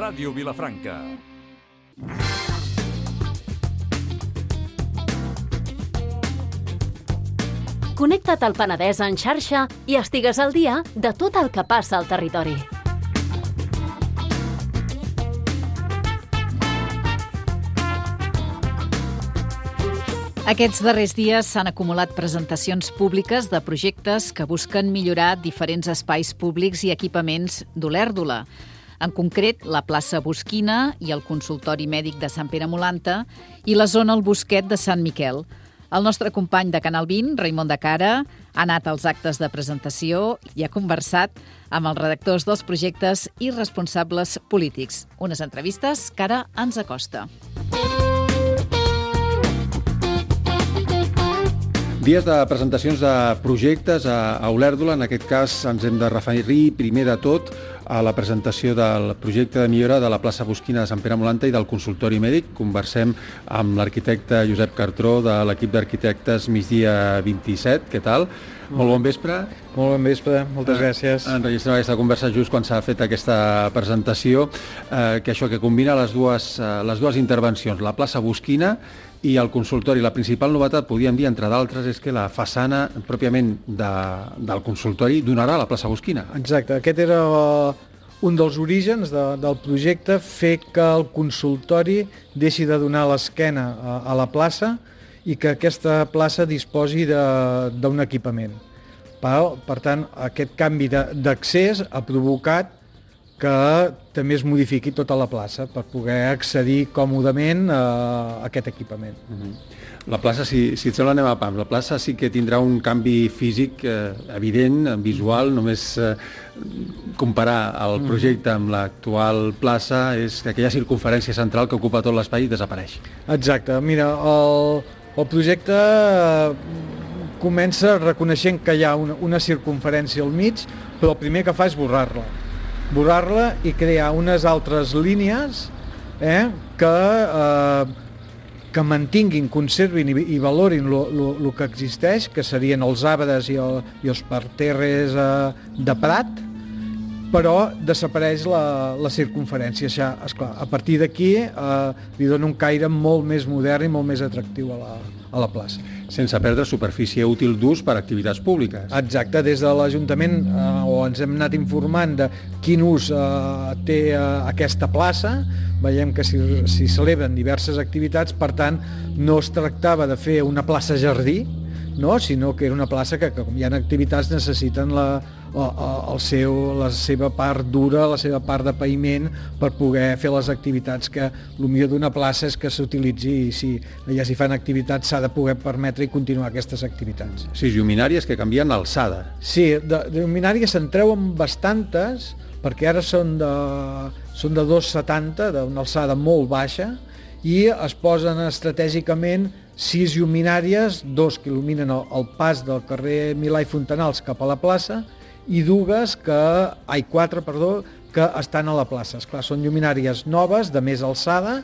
Ràdio Vilafranca. Connecta't al Penedès en xarxa i estigues al dia de tot el que passa al territori. Aquests darrers dies s'han acumulat presentacions públiques de projectes que busquen millorar diferents espais públics i equipaments d'Olèrdola. En concret, la plaça Bosquina i el consultori mèdic de Sant Pere Molanta i la zona El Bosquet de Sant Miquel. El nostre company de Canal 20, Raimon de Cara, ha anat als actes de presentació i ha conversat amb els redactors dels projectes i responsables polítics. Unes entrevistes que ara ens acosta. Dies de presentacions de projectes a Olèrdola. En aquest cas ens hem de referir primer de tot a la presentació del projecte de millora de la plaça Bosquina de Sant Pere Molanta i del consultori mèdic. Conversem amb l'arquitecte Josep Cartró de l'equip d'arquitectes Migdia 27. Què tal? Molt bon vespre. Molt bon vespre, moltes gràcies. Enregistrem aquesta conversa just quan s'ha fet aquesta presentació, que combina les dues intervencions, la plaça Bosquina i el consultori. La principal novetat, podríem dir, entre d'altres, és que la façana pròpiament del consultori donarà a la plaça Bosquina. Exacte, aquest era un dels orígens del projecte, fer que el consultori deixi de donar l'esquena a la plaça i que aquesta plaça disposi d'un equipament. Per tant, aquest canvi d'accés ha provocat que també es modifiqui tota la plaça per poder accedir còmodament a aquest equipament. La plaça, si et sembla, anem a pams. La plaça sí que tindrà un canvi físic evident, visual. Només comparar el projecte amb l'actual plaça és que aquella circunferència central que ocupa tot l'espai desapareix. Exacte. Mira, el projecte comença reconeixent que hi ha una circunferència al mig, però el primer que fa és borrar-la i crear unes altres línies que mantinguin, conservin i valorin el que existeix, que serien els arbres i els parterres de prat, però desapareix la circunferència. Esclar, a partir d'aquí li dona un caire molt més modern i molt més atractiu a la plaça. Sense perdre superfície útil d'ús per a activitats públiques. Exacte, des de l'Ajuntament ens hem anat informant de quin ús té aquesta plaça. Veiem que s'hi celebren diverses activitats, per tant, no es tractava de fer una plaça jardí, no? Sinó que era una plaça que, com hi ha activitats, necessiten la seva part dura, la seva part de paviment per poder fer les activitats, que el millor d'una plaça és que s'utilitzi i si allà s'hi fan activitats s'ha de poder permetre i continuar aquestes activitats. Sí, lluminàries que canvien l'alçada. Sí, de lluminàries se'n treuen bastantes, perquè ara són de 2,70, d'una alçada molt baixa, i es posen estratègicament 6 lluminàries, 2 que il·luminen el pas del carrer Milà i Fontanals cap a la plaça i 4 que estan a la plaça. Esclar, són lluminàries noves, de més alçada,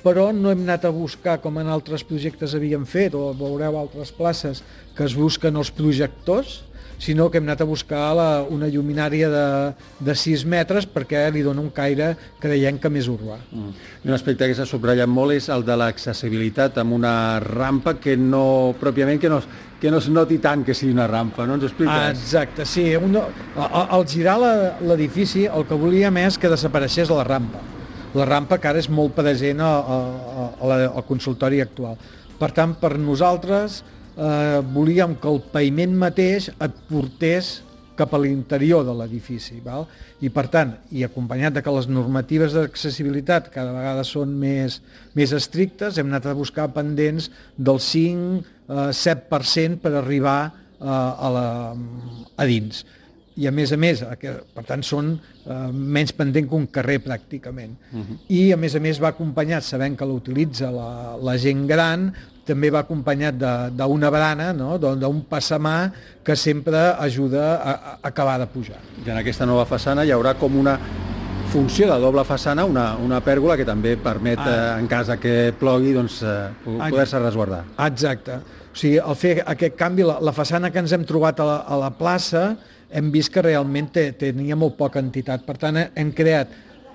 però no hem anat a buscar, com en altres projectes havíem fet, o veureu altres places, que es busquen els projectors, sinó que hem anat a buscar una lluminària de 6 metres perquè li dona un caire, creiem que més urbà. Un aspecte que s'ha subratllat molt és el de l'accessibilitat amb una rampa que no es noti tant que sigui una rampa, no ens ho expliques? Exacte, sí. Al girar l'edifici el que volíem és que desapareixés la rampa. La rampa que ara és molt present al consultori actual. Per tant, per nosaltres volíem que el paviment mateix et portés cap a l'interior de l'edifici, val? I per tant, i acompanyat de que les normatives d'accessibilitat cada vegada són més estrictes, hem anat a buscar pendents del 5-7% per arribar a dins. I a més, per tant, són menys pendent que un carrer pràcticament. I a més va acompanyat, sabent que l'utilitza la gent gran, també va acompanyat d'una barana, no? D'un passamà que sempre ajuda a acabar de pujar. I en aquesta nova façana hi haurà com una funció de doble façana, una pèrgola que també permet, en cas que plogui, poder-se resguardar. Exacte. O sigui, al fer aquest canvi, la façana que ens hem trobat a la plaça, hem vist que realment tenia molt poca entitat. Per tant, hem creat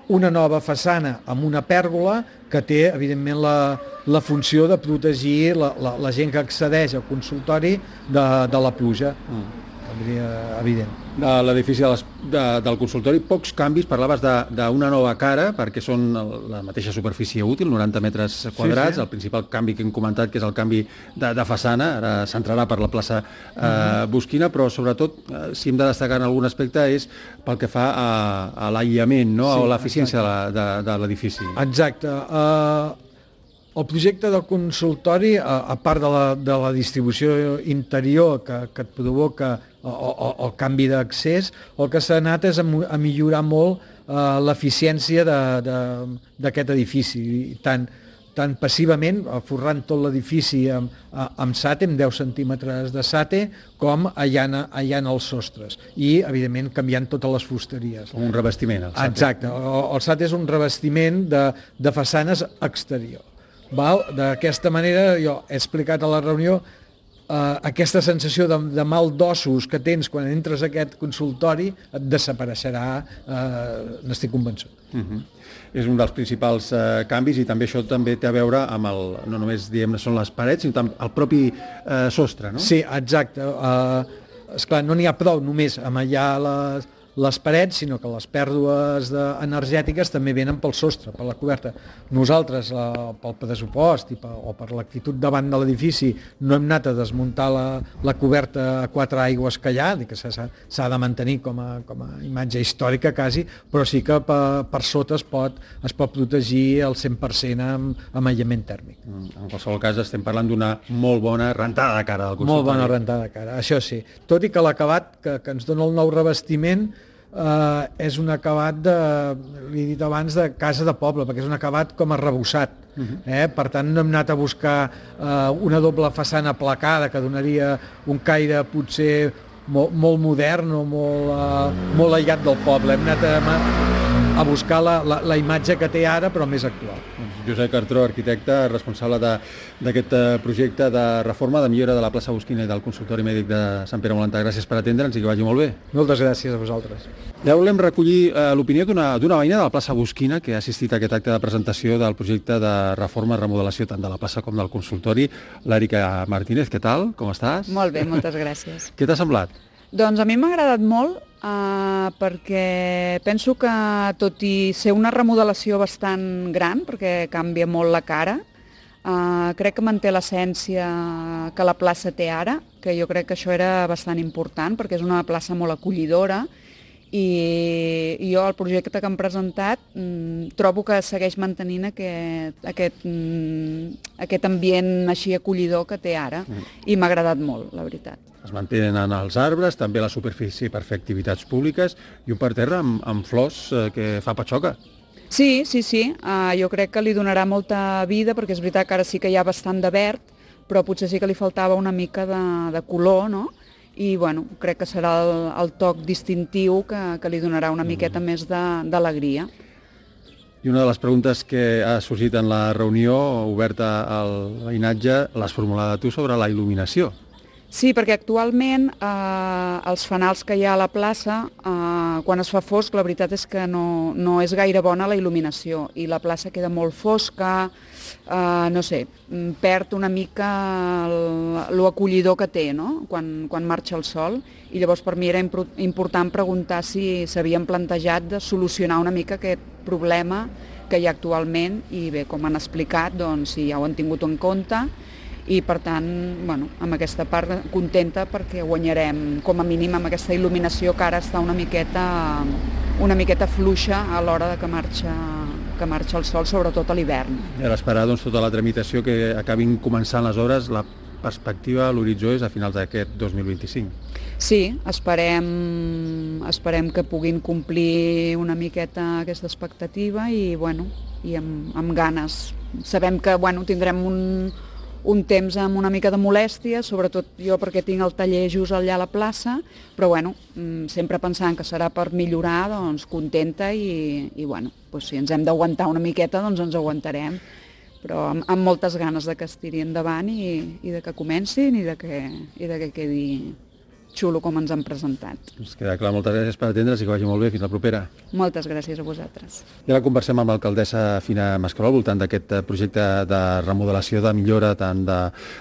una nova façana amb una pèrgola que té, evidentment, la funció de protegir la gent que accedeix al consultori de la pluja. Evident. De l'edifici del consultori, pocs canvis, parlaves d'una nova cara, perquè són la mateixa superfície útil, 90 metres quadrats, sí. El principal canvi que hem comentat, que és el canvi de façana, ara s'entrarà per la plaça Boschina, però sobretot, si hem de destacar en algun aspecte, és pel que fa a l'aïllament, no? Sí, o l'eficiència de l'edifici. Exacte. El projecte del consultori, a part de la distribució interior que et provoca el canvi d'accés, el que s'ha anat és a millorar molt l'eficiència d'aquest edifici, tant passivament, forrant tot l'edifici amb sate, amb 10 centímetres de sate, com allant els sostres i, evidentment, canviant totes les fusteries. Com un revestiment, el sate. Exacte. El sate és un revestiment de façanes exterior. D'aquesta manera, jo he explicat a la reunió aquesta sensació de mal d'ossos que tens quan entres a aquest consultori et desapareixerà, n'estic convençut. És un dels principals canvis i també això també té a veure amb no només diguem són les parets, sinó també el propi sostre, no? Sí, exacte. Esclar, no n'hi ha prou només amb aïllar les parets, sinó que les pèrdues energètiques també venen pel sostre, per la coberta. Nosaltres, pel pressupost o per l'actitud davant de l'edifici, no hem anat a desmuntar la coberta a 4 aigües que hi ha, que s'ha de mantenir com a imatge històrica quasi, però sí que per sota es pot protegir al 100% amb aïllament tèrmic. En qualsevol cas estem parlant d'una molt bona rentada de cara del consultori. Molt bona rentada de cara, això sí. Tot i que l'acabat que ens dona el nou revestiment és un acabat l'he dit abans, de casa de poble, perquè és un acabat com arrebossat. Per tant, no hem anat a buscar una doble façana placada que donaria un caire potser molt modern o molt aïllat del poble. Hem anat a buscar la imatge que té ara, però més actual. Josep Cartró, arquitecte, responsable d'aquest projecte de reforma, de millora de la plaça Boschina i del consultori mèdic de Sant Pere Molantà. Gràcies per atendre'ns i que vagi molt bé. Moltes gràcies a vosaltres. Ja volem recollir l'opinió d'una veïna de la plaça Boschina que ha assistit a aquest acte de presentació del projecte de reforma i remodelació tant de la plaça com del consultori. L'Èrica Martínez, què tal? Com estàs? Molt bé, moltes gràcies. Què t'ha semblat? Doncs a mi m'ha agradat molt perquè penso que, tot i ser una remodelació bastant gran, perquè canvia molt la cara, crec que manté l'essència que la plaça té ara, que jo crec que això era bastant important, perquè és una plaça molt acollidora, i jo el projecte que han presentat trobo que segueix mantenint aquest ambient així acollidor que té ara, i m'ha agradat molt, la veritat. Es mantenen els arbres, també la superfície per fer activitats públiques i un parterre amb flors que fa patxoca. Sí, jo crec que li donarà molta vida, perquè és veritat que ara sí que hi ha bastant de verd, però potser sí que li faltava una mica de color, no? I bueno, crec que serà el toc distintiu que li donarà una miqueta més d'alegria. I una de les preguntes que ha sorgit en la reunió oberta al veïnatge l'has formulada tu sobre la il·luminació. Sí, perquè actualment els fanals que hi ha a la plaça, quan es fa fosc, la veritat és que no és gaire bona la il·luminació i la plaça queda molt fosca, no sé, perd una mica l'acollidor que té, no?, quan marxa el sol, i llavors per mi era important preguntar si s'havien plantejat de solucionar una mica aquest problema que hi ha actualment, i bé, com han explicat, doncs sí, ja ho han tingut en compte, i per tant, bueno, amb aquesta part contenta perquè guanyarem com a mínim amb aquesta il·luminació que ara està una miqueta fluixa a l'hora que marxa el sol, sobretot a l'hivern. I ara esperar tota la tramitació que acabin començant les obres, la perspectiva a l'horitzó és a finals d'aquest 2025. Sí, esperem que puguin complir una miqueta aquesta expectativa i amb ganes. Sabem que tindrem un temps amb una mica de molèstia, sobretot jo perquè tinc el taller just allà a la plaça, però sempre pensant que serà per millorar, doncs contenta i si ens hem d'aguantar una miqueta, doncs ens aguantarem, però amb moltes ganes de que es tiri endavant i de que comencin i de que quedi xulo com ens han presentat. Ens queda clar, moltes gràcies per atendre's i que vagi molt bé. Fins la propera. Moltes gràcies a vosaltres. I ara conversem amb l'alcaldessa Fina Mascaró al voltant d'aquest projecte de remodelació, de millora tant de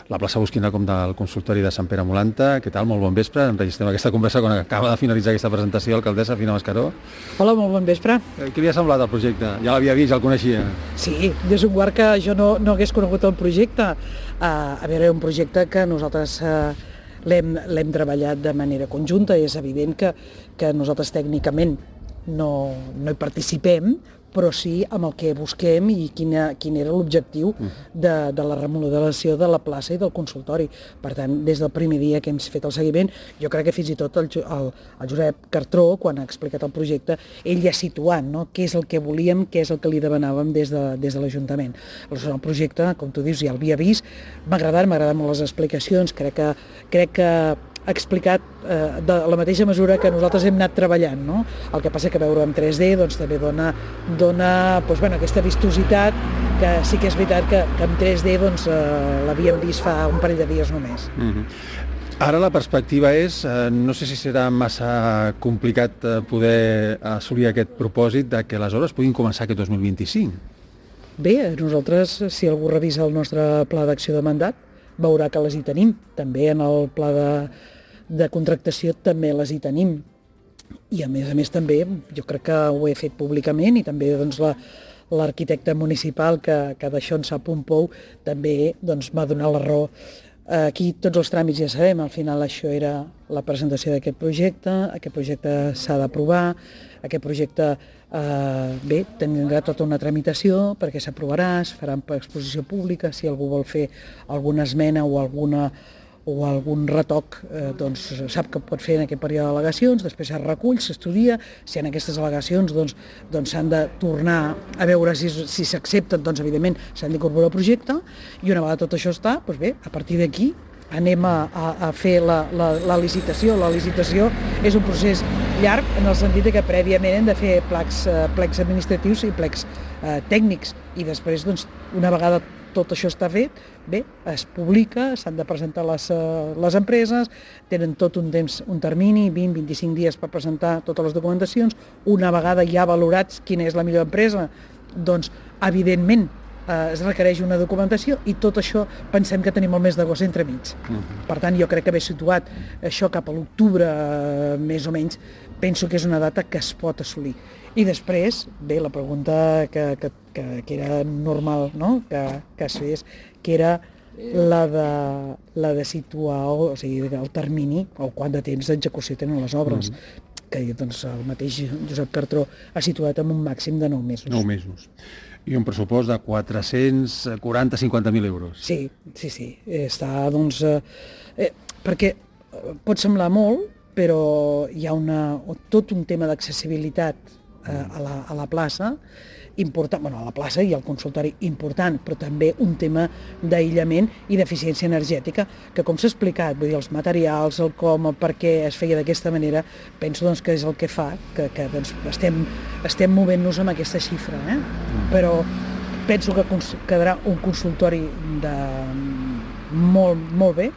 la plaça Bosquina com del consultori de Sant Pere Molanta. Què tal? Molt bon vespre. Enregistrem aquesta conversa quan acaba de finalitzar aquesta presentació, alcaldessa Fina Mascaró. Hola, molt bon vespre. Què li ha semblat el projecte? Ja l'havia vist, ja el coneixia? Sí, des d'un guard que jo no hagués conegut el projecte. A veure, un projecte que nosaltres l'hem treballat de manera conjunta. És evident que nosaltres tècnicament no hi participem, però sí amb el que busquem i quin era l'objectiu de la remodelació de la plaça i del consultori. Per tant, des del primer dia que hem fet el seguiment, jo crec que fins i tot el Josep Cartró, quan ha explicat el projecte, ell ja ha situat, no?, què és el que volíem, què és el que li demanàvem des de l'Ajuntament. El projecte, com tu dius, ja l'havia vist, m'ha agradat molt les explicacions, crec que ha explicat de la mateixa mesura que nosaltres hem anat treballant, no? El que passa que veure en 3D doncs, també dona doncs, aquesta vistositat, que sí que és veritat que en 3D doncs, l'havíem vist fa un parell de dies només. Ara la perspectiva és, no sé si serà massa complicat poder assolir aquest propòsit de que les obres puguin començar aquest 2025. Bé, nosaltres, si algú revisa el nostre pla d'acció de mandat, veurà que les hi tenim. També en el pla de contractació també les hi tenim. I a més també, jo crec que ho he fet públicament i també doncs, l'arquitecte municipal que d'això en sap un pou també doncs, m'ha donat la raó. Aquí tots els tràmits ja sabem, al final això era la presentació d'aquest projecte s'ha d'aprovar, aquest projecte tindrà tota una tramitació perquè s'aprovarà, es farà per exposició pública, si algú vol fer alguna esmena o algun retoc, doncs sap que pot fer en aquest període d'al·legacions, després es recull, s'estudia, si en aquestes al·legacions doncs s'han de tornar a veure si s'accepten, doncs evidentment s'han d'incorporar al projecte, i una vegada tot això està, doncs bé, a partir d'aquí anem a fer la licitació. La licitació és un procés llarg en el sentit que prèviament hem de fer plecs administratius i plecs tècnics, i després, doncs, una vegada tot això està fet, bé, es publica, s'han de presentar les empreses, tenen tot un temps, un termini, 20-25 dies per presentar totes les documentacions. Una vegada ja valorats quina és la millor empresa, doncs, evidentment, es requereix una documentació, i tot això pensem que tenim el mes d'agost entremig. Per tant, jo crec que haver situat això cap a l'octubre, més o menys, penso que és una data que es pot assolir. I després, bé, la pregunta que era normal, no?, que es fes, que era la de situar, o sigui, el termini, o quant de temps d'execució tenen les obres, que doncs, el mateix Josep Cartró ha situat en un màxim de 9 mesos. 9 mesos. I un pressupost de 440-50.000 euros. Sí. Està, doncs... perquè pot semblar molt, però hi ha tot un tema d'accessibilitat a la plaça, important, a la plaça i al consultori important, però també un tema d'aïllament i d'eficiència energètica, que com s'ha explicat, vull dir, els materials, el com, el per què es feia d'aquesta manera, penso doncs, que és el que fa que doncs, estem movent-nos amb aquesta xifra, però penso que quedarà un consultori molt bé,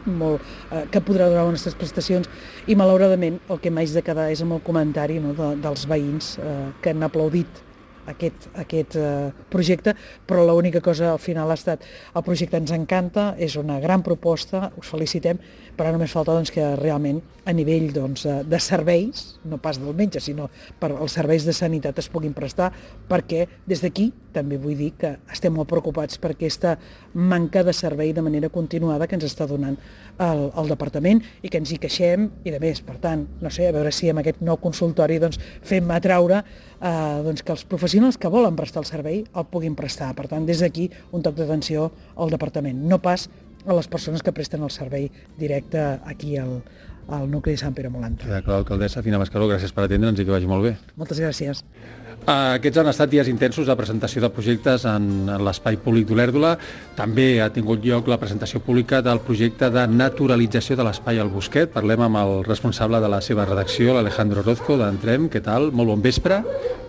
que podrà donar bones prestacions, i malauradament el que m'haig de quedar és amb el comentari, no, dels veïns que han aplaudit aquest projecte, però l'única cosa al final ha estat el projecte ens encanta, és una gran proposta, us felicitem, però només falta doncs, que realment a nivell doncs, de serveis, no pas del metge, sinó per als serveis de sanitat es puguin prestar, perquè des d'aquí també vull dir que estem molt preocupats per aquesta manca de servei de manera continuada que ens està donant el departament i que ens hi queixem, i de més, per tant, no sé, a veure si amb aquest nou consultori doncs, fem atraure doncs, que els professionals que volen prestar el servei el puguin prestar. Per tant, des d'aquí un toc d'atenció al departament, no pas a les persones que presten el servei directe aquí al nucli de Sant Pere Molanta. Clar, alcaldessa Fina Mascaró, gràcies per atendre'ns i que vagi molt bé. Moltes gràcies. Aquests han estat dies intensos de presentació de projectes en l'espai públic d'Olèrdola. També ha tingut lloc la presentació pública del projecte de naturalització de l'espai al Bosquet. Parlem amb el responsable de la seva redacció, l'Alejandro Orozco, d'Entrem. Què tal? Molt bon vespre.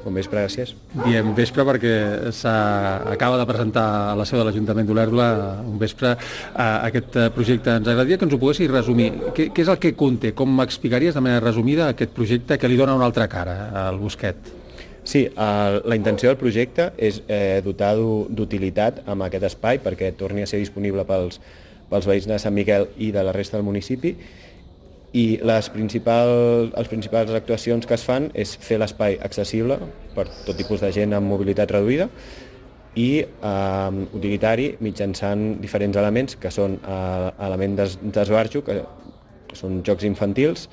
Bon vespre, gràcies. Diem vespre perquè s'acaba de presentar a la seu de l'Ajuntament d'Olèrdola un vespre aquest projecte. Ens agradaria que ens ho poguessis resumir. Què és el que conté? Com m'explicaries de manera resumida aquest projecte que li dona una altra cara al Bosquet? Sí, la intenció del projecte és dotar d'utilitat amb aquest espai perquè torni a ser disponible pels veïns de Sant Miquel i de la resta del municipi, i les principals actuacions que es fan és fer l'espai accessible per tot tipus de gent amb mobilitat reduïda i utilitari mitjançant diferents elements que són elements d'esbarjo, que són jocs infantils,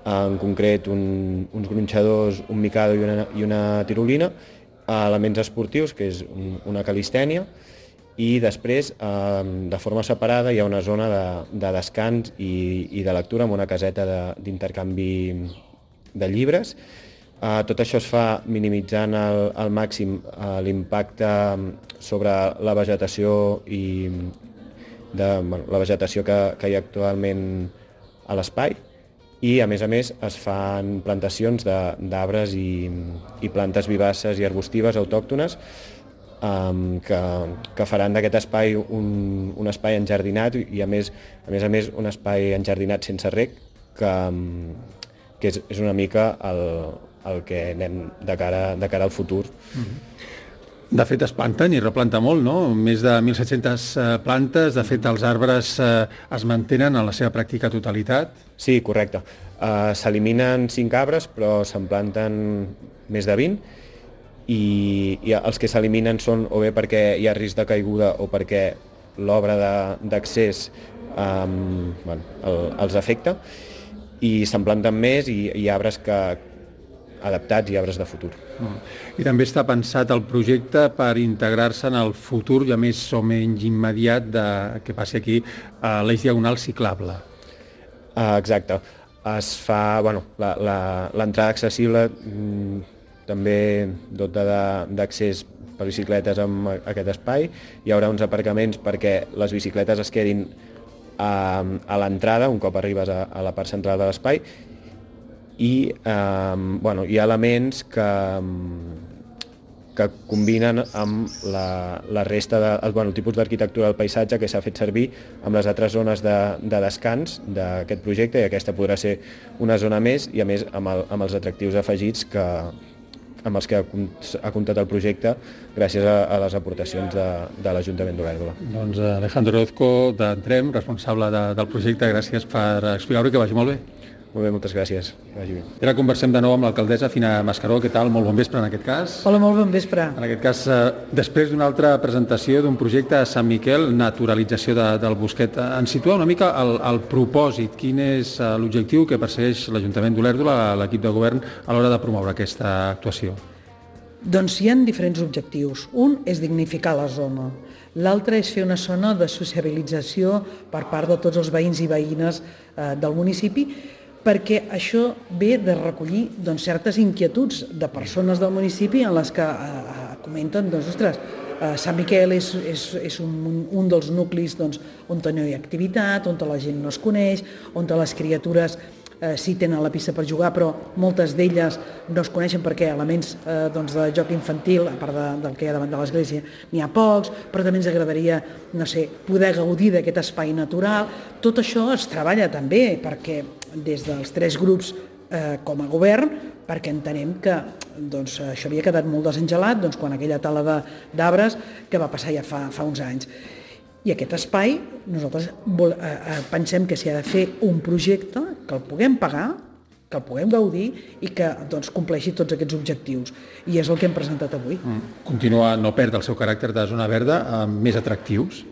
en concret uns gronxadors, un micado i una tirolina, elements esportius, que és una calistènia, i després, de forma separada, hi ha una zona de descans i de lectura amb una caseta d'intercanvi de llibres. Tot això es fa minimitzant al màxim l'impacte sobre la vegetació la vegetació que hi ha actualment a l'espai, i a més es fan plantacions d'arbres i plantes vivaces i arbustives autòctones que faran d'aquest espai un espai enjardinat i a més un espai enjardinat sense reg, que és una mica el que anem de cara al futur. De fet, es planten i replanta molt, no? Més de 1.700 plantes. De fet, els arbres es mantenen en la seva pràctica totalitat. Sí, correcte. S'eliminen 5 arbres, però se'n planten més de 20, i els que s'eliminen són o bé perquè hi ha risc de caiguda o perquè l'obra d'accés els afecta, i se'n planten més i arbres adaptats i arbres de futur. I també està pensat el projecte per integrar-se en el futur, ja més o menys immediat, que passi aquí l'eix diagonal ciclable. Exacte. Es fa l'entrada accessible, també dotada d'accés per bicicletes amb aquest espai. Hi haurà uns aparcaments perquè les bicicletes es quedin a l'entrada, un cop arribes a la part central de l'espai, i hi ha elements que combinen amb la resta el tipus d'arquitectura del paisatge que s'ha fet servir amb les altres zones de descans d'aquest projecte, i aquesta podrà ser una zona més, i a més amb els atractius afegits amb els que ha comptat el projecte gràcies a les aportacions de l'Ajuntament d'Olèrdola. Doncs Alejandro Orozco, d'Entrem, responsable del projecte, gràcies per explicar-ho i que vagi molt bé. Molt bé, moltes gràcies. Que vagi bé. Ara conversem de nou amb l'alcaldessa Fina Mascaró. Què tal? Molt bon vespre en aquest cas. Hola, molt bon vespre. En aquest cas, després d'una altra presentació d'un projecte a Sant Miquel, naturalització del Bosquet, ens situa una mica el propòsit. Quin és l'objectiu que persegueix l'Ajuntament d'Olèrdola, l'equip de govern, a l'hora de promoure aquesta actuació? Doncs hi ha diferents objectius. Un és dignificar la zona. L'altre és fer una zona de sociabilització per part de tots els veïns i veïnes del municipi, perquè això ve de recollir certes inquietuds de persones del municipi en les que comenten, ostres, Sant Miquel és un dels nuclis on no hi ha activitat, on la gent no es coneix, on les criatures sí tenen la pista per jugar, però moltes d'elles no es coneixen perquè elements de joc infantil, a part del que hi ha davant de l'església, n'hi ha pocs, però també ens agradaria, poder gaudir d'aquest espai natural. Tot això es treballa també perquè des dels 3 grups com a govern, perquè entenem que això havia quedat molt desengelat quan aquella tala d'arbres que va passar ja fa uns anys. I aquest espai, nosaltres pensem que s'hi ha de fer un projecte que el puguem pagar, que el puguem gaudir i que compleixi tots aquests objectius. I és el que hem presentat avui. Continua, no perd el seu caràcter de zona verda, més atractius?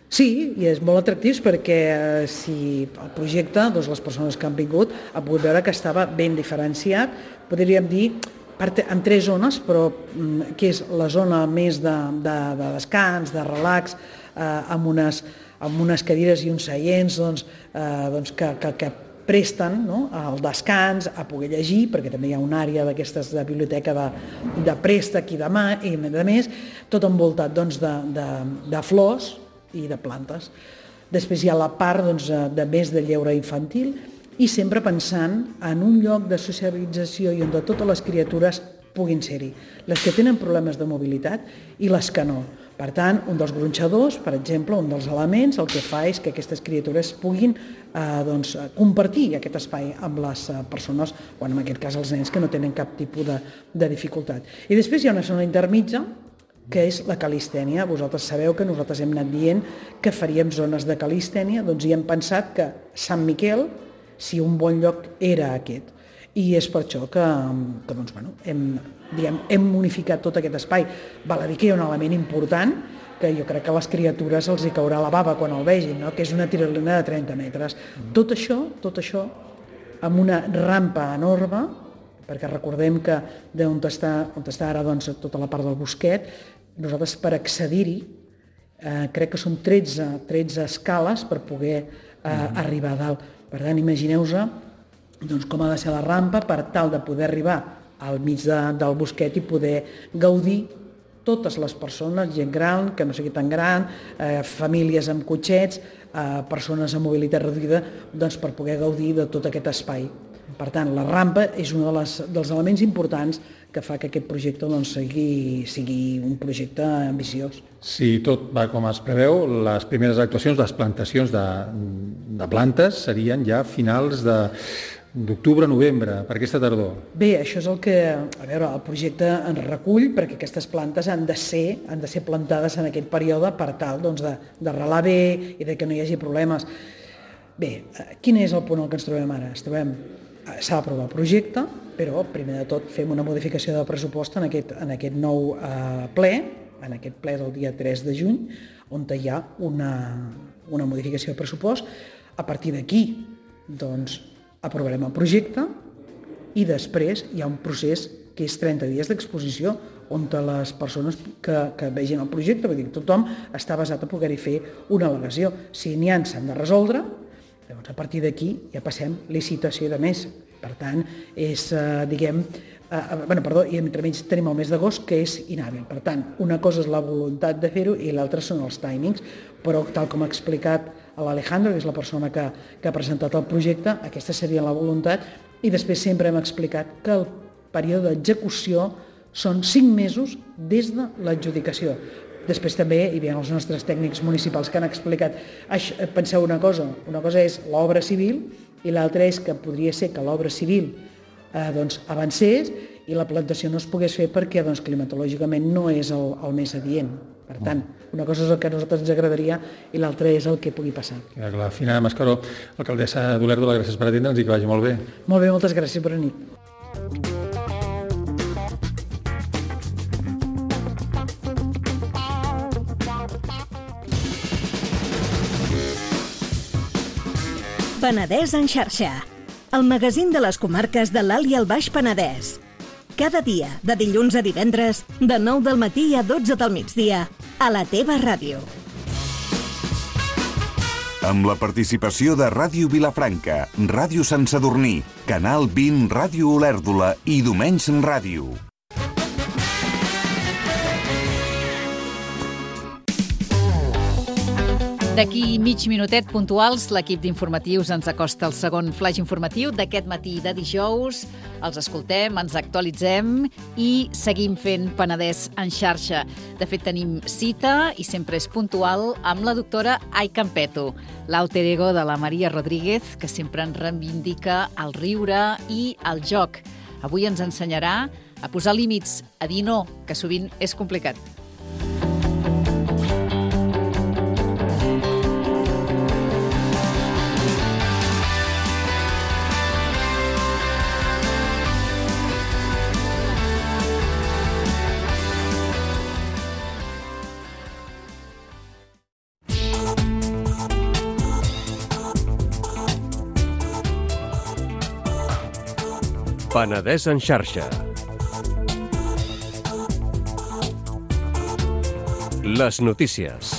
Sí, i és molt atractius perquè si el projecte, les persones que han vingut, han pogut veure que estava ben diferenciat, podríem dir, en 3 zones, però que és la zona més de descans, de relax, amb unes cadires i uns seients que presten el descans, a poder llegir, perquè també hi ha una àrea d'aquestes de biblioteca de préstec i de més, tot envoltat de flors i de plantes. Després hi ha la part de més de lleure infantil i sempre pensant en un lloc de socialització i on totes les criatures puguin ser-hi, les que tenen problemes de mobilitat i les que no, Per tant, un dels gronxadors, per exemple, un dels elements, el que fa és que aquestes criatures puguin compartir aquest espai amb les persones, o en aquest cas els nens, que no tenen cap tipus de dificultat. I després hi ha una zona intermitja, que és la calistènia. Vosaltres sabeu que nosaltres hem anat dient que faríem zones de calistènia, doncs hi hem pensat que Sant Miquel, si un bon lloc era aquest. I és per això que hem unificat tot aquest espai. Val a dir que hi ha un element important que jo crec que a les criatures els hi caurà la bava quan el vegin, no? Que és una tirolina de 30 metres. Tot això amb una rampa enorme, perquè recordem que d'on està ara tota la part del bosquet, nosaltres per accedir-hi crec que són 13 escales per poder arribar a dalt. Per tant, imagineu-vos com ha de ser la rampa per tal de poder arribar al mig del bosquet i poder gaudir totes les persones, gent gran, que no sigui tan gran, famílies amb cotxets, persones amb mobilitat reduïda, doncs per poder gaudir de tot aquest espai. Per tant, la rampa és un dels elements importants que fa que aquest projecte sigui un projecte ambiciós. Si tot va com es preveu, les primeres actuacions, les plantacions de plantes serien ja finals d'octubre-novembre, per aquesta tardor. Bé, això és el que, el projecte ens recull, perquè aquestes plantes han de ser plantades en aquest període per tal de relar bé i de que no hi hagi problemes. Bé, quin és el punt en què ens trobem ara? S'ha d'aprovar el projecte, però primer de tot fem una modificació de pressupost en aquest nou ple, en aquest ple del dia 3 de juny, on hi ha una modificació de pressupost. A partir d'aquí, aprovarem el projecte i després hi ha un procés que és 30 dies d'exposició on les persones que vegin el projecte, vull dir, tothom està basat a poder-hi fer una al·legació. Si n'hi ha, s'han de resoldre. Llavors, a partir d'aquí ja passem licitació de més. Per tant, i entremig tenim el mes d'agost, que és inhàbil. Per tant, una cosa és la voluntat de fer-ho i l'altra són els timings, però tal com ha explicat l'Alejandro, que és la persona que ha presentat el projecte, aquesta seria la voluntat, i després sempre hem explicat que el període d'execució són 5 mesos des de l'adjudicació. Després també hi havia els nostres tècnics municipals que han explicat, penseu una cosa és l'obra civil i l'altra és que podria ser que l'obra civil avancés i la plantació no es pogués fer perquè climatològicament no és el més adient. Per tant, una cosa és el que a nosaltres ens agradaria i l'altra és el que pugui passar. La Fina Mascaró, alcaldessa d'Olèrdola, gràcies per atendre'ns i que vagi molt bé. Molt bé, moltes gràcies, bona nit. Penedès en xarxa, el magazín de les comarques de l'Alt i el Baix Penedès. Cada dia, de dilluns a divendres, de 9 del matí a 12 del migdia, a la teva ràdio. Amb la participació de Ràdio Vilafranca, Ràdio Sant Sadurní, Canal 20 Ràdio Olèrdola i Domenys Ràdio. D'aquí mig minutet puntuals, l'equip d'informatius ens acosta el segon flash informatiu d'aquest matí de dijous. Els escoltem, ens actualitzem i seguim fent Penedès en xarxa. De fet, tenim cita, i sempre és puntual, amb la doctora Ai Campeto, l'alter ego de la Maria Rodríguez, que sempre ens reivindica el riure i el joc. Avui ens ensenyarà a posar límits, a dir no, que sovint és complicat. Penedès en xarxa. Les notícies.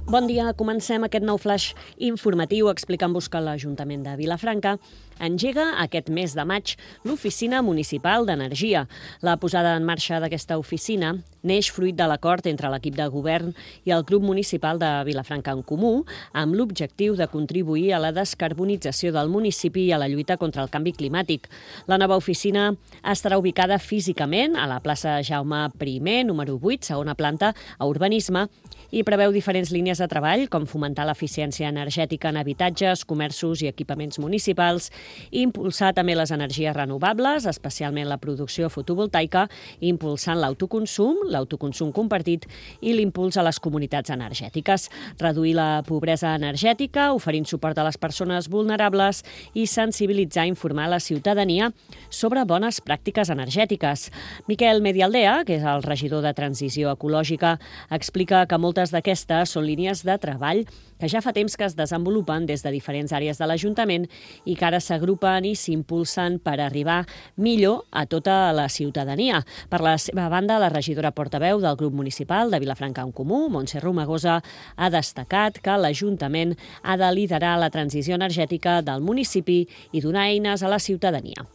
Bon dia, comencem aquest nou flash informatiu explicant-vos que l'Ajuntament de Vilafranca engega aquest mes de maig l'Oficina Municipal d'Energia. La posada en marxa d'aquesta oficina neix fruit de l'acord entre l'equip de govern i el Grup Municipal de Vilafranca en Comú, amb l'objectiu de contribuir a la descarbonització del municipi i a la lluita contra el canvi climàtic. La nova oficina estarà ubicada físicament a la plaça Jaume I, número 8, segona planta, a Urbanisme, i preveu diferents línies de treball, com fomentar l'eficiència energètica en habitatges, comerços i equipaments municipals, impulsar també les energies renovables, especialment la producció fotovoltaica, impulsant l'autoconsum compartit i l'impuls a les comunitats energètiques, reduir la pobresa energètica, oferint suport a les persones vulnerables i sensibilitzar i informar la ciutadania sobre bones pràctiques energètiques. Miquel Medialdea, que és el regidor de Transició Ecològica, explica que moltes d'aquestes són línies de treball que ja fa temps que es desenvolupen des de diferents àrees de l'Ajuntament i que ara s'agrupen i s'impulsen per arribar millor a tota la ciutadania. Per la seva banda, la regidora portaveu del grup municipal de Vilafranca en Comú, Montse Romagosa, ha destacat que l'Ajuntament ha de liderar la transició energètica del municipi i donar eines a la ciutadania.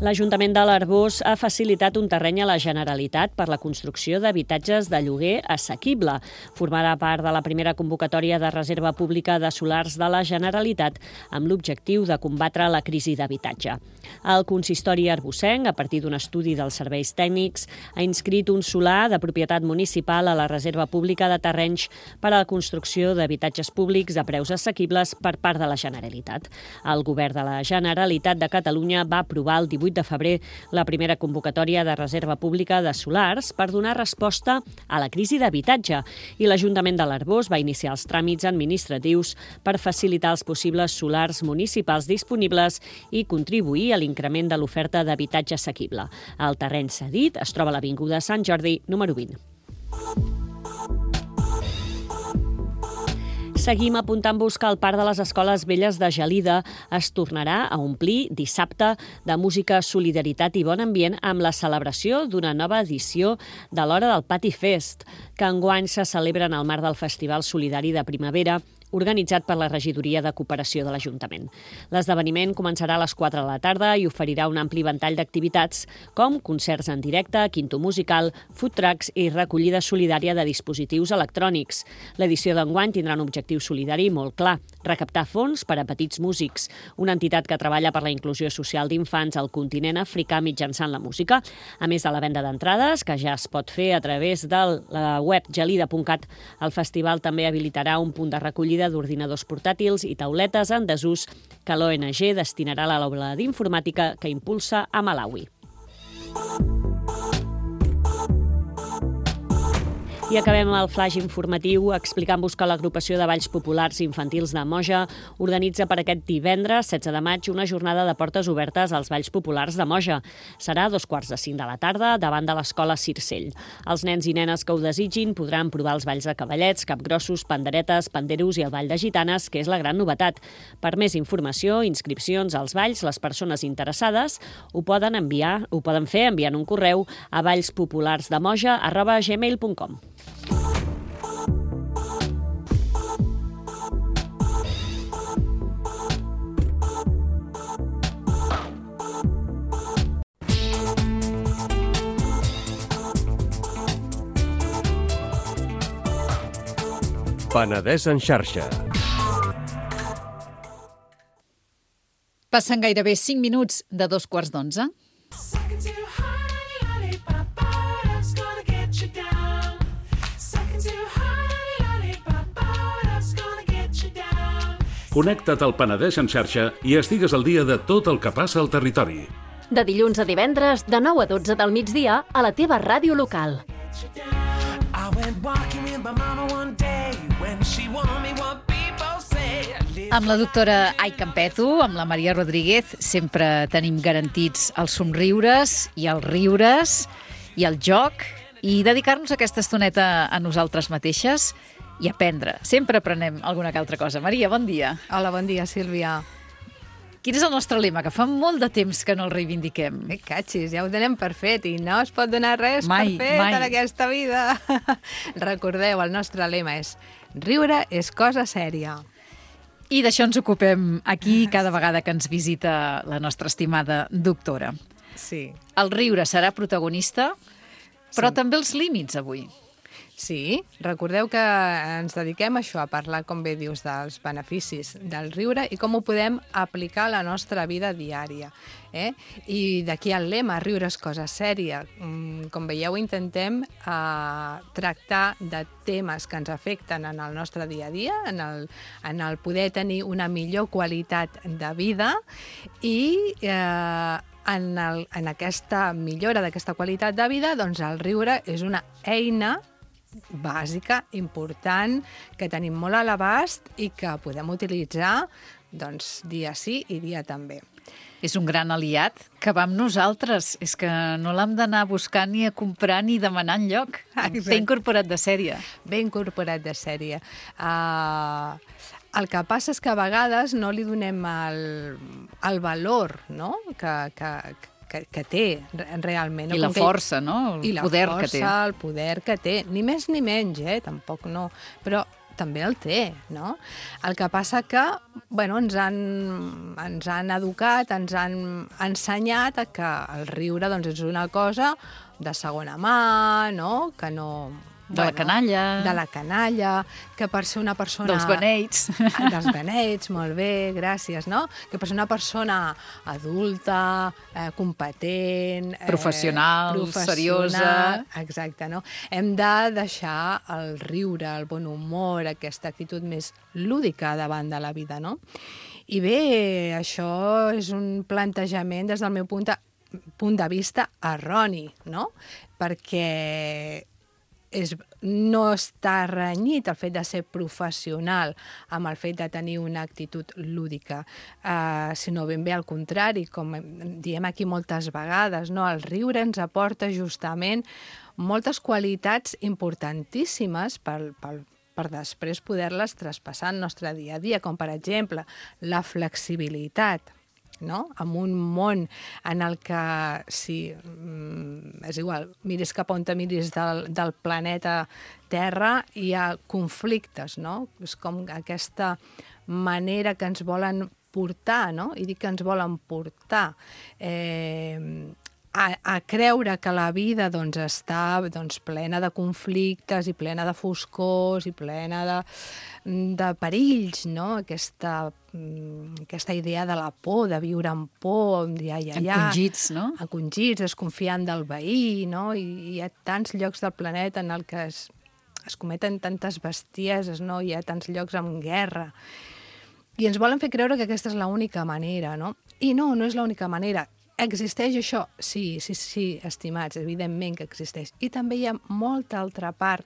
L'Ajuntament de l'Arboç ha facilitat un terreny a la Generalitat per la construcció d'habitatges de lloguer assequible. Formarà part de la primera convocatòria de reserva pública de solars de la Generalitat amb l'objectiu de combatre la crisi d'habitatge. El consistori arbocenc, a partir d'un estudi dels serveis tècnics, ha inscrit un solar de propietat municipal a la reserva pública de terrenys per a la construcció d'habitatges públics a preus assequibles per part de la Generalitat. El govern de la Generalitat de Catalunya va aprovar el 18 de febrer la primera convocatòria de reserva pública de solars per donar resposta a la crisi d'habitatge i l'Ajuntament de l'Arboç va iniciar els tràmits administratius per facilitar els possibles solars municipals disponibles i contribuir a l'increment de l'oferta d'habitatge assequible. El terreny cedit es troba a l'Avinguda Sant Jordi, número 20. Seguim apuntant-vos que el Parc de les Escoles Velles de Gelida es tornarà a omplir dissabte de música, solidaritat i bon ambient amb la celebració d'una nova edició de l'Hora del Pati Fest, que enguany se celebra en el marc del Festival Solidari de Primavera, organitzat per la Regidoria de Cooperació de l'Ajuntament. L'esdeveniment començarà a les 4 de la tarda i oferirà un ampli ventall d'activitats com concerts en directe, quinto musical, food trucks i recollida solidària de dispositius electrònics. L'edició d'enguany tindrà un objectiu solidari molt clar, recaptar fons per a petits músics, una entitat que treballa per la inclusió social d'infants al continent africà mitjançant la música. A més de la venda d'entrades, que ja es pot fer a través de la web gelida.cat, el festival també habilitarà un punt de recollida d'ordinadors portàtils i tauletes en desús que l'ONG destinarà a l'aula d'informàtica que impulsa a Malawi. I acabem el flash informatiu explicant-vos que l'Agrupació de Balls Populars Infantils de Moja organitza per aquest divendres, 16 de maig, una jornada de portes obertes als Balls Populars de Moja. Serà a 2:45 de la tarda davant de l'Escola Circell. Els nens i nenes que ho desitgin podran provar els balls de cavallets, capgrossos, panderetes, panderos i el ball de gitanes, que és la gran novetat. Per més informació, inscripcions als balls, les persones interessades ho poden fer enviant un correu a ballspopularsdemoja@gmail.com. Penedès en xarxa. Passen gairebé 5 minuts de 2:15. Connecta't al Penedès en xarxa i estigues al dia de tot el que passa al territori. De dilluns a divendres, de 9 a 12 del migdia, a la teva ràdio local. Amb la doctora Ai Campeto, amb la Maria Rodríguez, sempre tenim garantits els somriures i els riures i el joc i dedicar-nos aquesta estoneta a nosaltres mateixes i aprendre. Sempre aprenem alguna que altra cosa. Maria, bon dia. Hola, bon dia, Sílvia. Quin és el nostre lema? Que fa molt de temps que no el reivindiquem. Catxis, ja ho donem per fet i no es pot donar res per fet en aquesta vida. Recordeu, el nostre lema és riure és cosa sèria. I d'això ens ocupem aquí cada vegada que ens visita la nostra estimada doctora. Sí. El riure serà protagonista, però també els límits avui. Sí, recordeu que ens dediquem a això, a parlar, com bé dius, dels beneficis del riure i com ho podem aplicar a la nostra vida diària. I d'aquí el lema, riure és cosa sèria. Com veieu, intentem tractar de temes que ens afecten en el nostre dia a dia, en el poder tenir una millor qualitat de vida i en aquesta millora d'aquesta qualitat de vida, doncs el riure és una eina bàsica, important, que tenim molt a l'abast i que podem utilitzar doncs, dia sí i dia també. És un gran aliat que va amb nosaltres. És que no l'hem d'anar a buscar ni a comprar ni demanar enlloc. Ben incorporat de sèrie. Ben incorporat de sèrie. El que passa és que a vegades no li donem el valor, no?, que té realment. I la força, no? El poder que té. El poder que té. Ni més ni menys, tampoc no. Però també el té, no? El que passa que, bueno, ens han educat, ens han ensenyat que el riure doncs, és una cosa de segona mà, no? Que no... De la canalla. De la canalla, que per ser una persona... Dels beneits. Dels beneits, molt bé, gràcies, no? Que per ser una persona adulta, competent... Professional, seriosa... Exacte, no? Hem de deixar el riure, el bon humor, aquesta actitud més lúdica davant de la vida, no? I bé, això és un plantejament des del meu punt de vista erroni, no? Perquè no està renyit el fet de ser professional amb el fet de tenir una actitud lúdica, sinó ben bé al contrari, com diem aquí moltes vegades, no? El riure ens aporta justament moltes qualitats importantíssimes per després poder-les traspassar al nostre dia a dia, com per exemple la flexibilitat, no? En un món en el que, és igual, miris cap on te miris del planeta Terra, hi ha conflictes, no? És com aquesta manera que ens volen portar, no? I dic que ens volen portar a creure que la vida doncs, està plena de conflictes i plena de foscors i plena de perills, no? Aquesta idea de la por, de viure amb por, encongits, no? Encongits, desconfiant del veí, no? I hi ha tants llocs del planeta en el que es cometen tantes bestieses, no? Hi ha tants llocs amb guerra. I ens volen fer creure que aquesta és l'única manera, no? I no és l'única manera. Existeix això? Sí, estimats, evidentment que existeix. I també hi ha molta altra part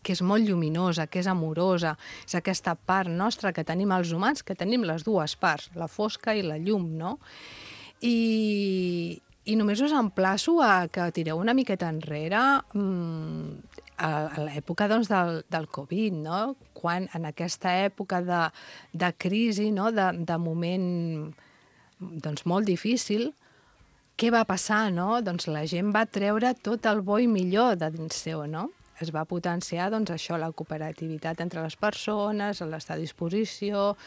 que és molt lluminosa, que és amorosa, és aquesta part nostra que tenim els humans, que tenim les dues parts, la fosca i la llum, no? I només us emplaço a que tireu una miqueta enrere a l'època doncs, del Covid, no? Quan en aquesta època de crisi, no? De moment doncs, molt difícil, què va passar, no? Doncs la gent va treure tot el bo i millor de dins seu, no? Es va potenciar, doncs, això, la cooperativitat entre les persones, l'estar a disposició,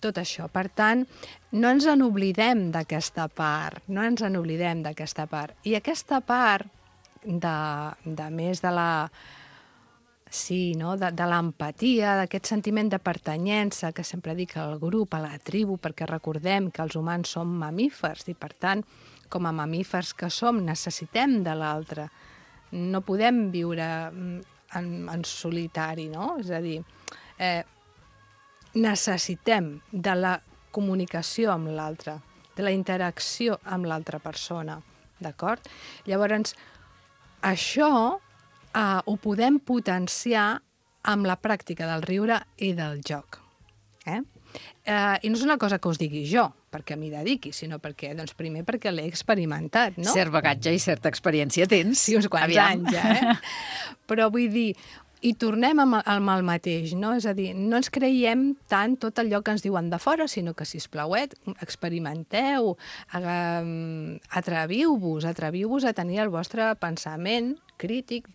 tot això. Per tant, no ens n'oblidem d'aquesta part, no ens n'oblidem d'aquesta part. I aquesta part, de més de la... Sí, no? De l'empatia, d'aquest sentiment de pertanyença que sempre dic al grup, a la tribu, perquè recordem que els humans som mamífers i, per tant, com a mamífers que som, necessitem de l'altre. No podem viure en solitari, no? És a dir, necessitem de la comunicació amb l'altre, de la interacció amb l'altra persona, d'acord? Llavors, això ho podem potenciar amb la pràctica del riure i del joc. I no és una cosa que us digui jo, perquè m'hi dediqui, sinó perquè, doncs, primer perquè l'he experimentat, no? Cert bagatge i certa experiència tens. Sí, uns quants anys, Però vull dir, i tornem amb el mateix, no? És a dir, no ens creiem tant tot allò que ens diuen de fora, sinó que, sisplau, experimenteu, atreviu-vos a tenir el vostre pensament crític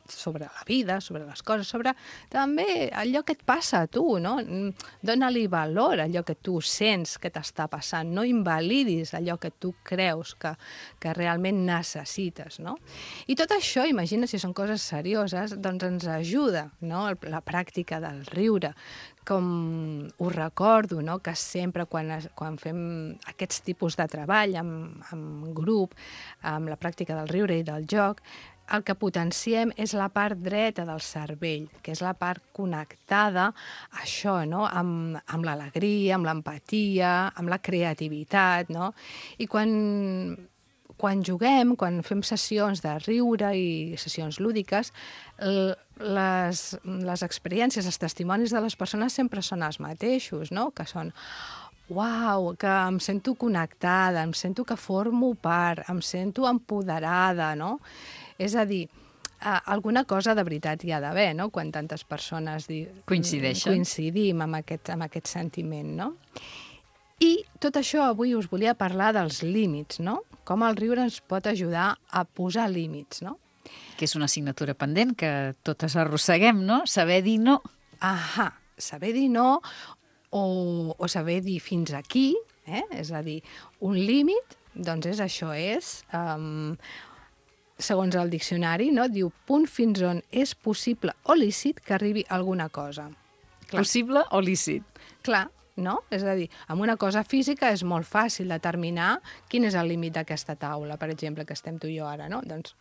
sobre la vida, sobre les coses, sobre també allò que et passa a tu, no? Dóna-li valor a allò que tu sents que t'està passant, no invalidis allò que tu creus que realment necessites, no? I tot això, imagina si són coses serioses, doncs ens ajuda, no? La pràctica del riure, com ho recordo, no? Que sempre quan fem aquests tipus de treball amb grup, amb la pràctica del riure i del joc, el que potenciem és la part dreta del cervell, que és la part connectada a això, no? Amb l'alegria, amb l'empatia, amb la creativitat, no? I quan juguem, quan fem sessions de riure i sessions lúdiques, les experiències, els testimonis de les persones sempre són els mateixos, no? Que són uau, que em sento connectada, em sento que formo part, em sento empoderada, no? És a dir, alguna cosa de veritat hi ha d'haver, no? Quan tantes persones coincidim amb aquest sentiment, no? I tot això avui us volia parlar dels límits, no? Com el riure ens pot ajudar a posar límits, no? Que és una assignatura pendent que totes arrosseguem, no? Saber dir no. Ahà, saber dir no o saber dir fins aquí, és a dir, un límit, doncs és això, segons el diccionari, no? Diu punt fins on és possible o lícit que arribi alguna cosa. Clar. Possible o lícit. Clar, no? És a dir, amb una cosa física és molt fàcil determinar quin és el límit d'aquesta taula, per exemple, que estem tu i jo ara, no? Doncs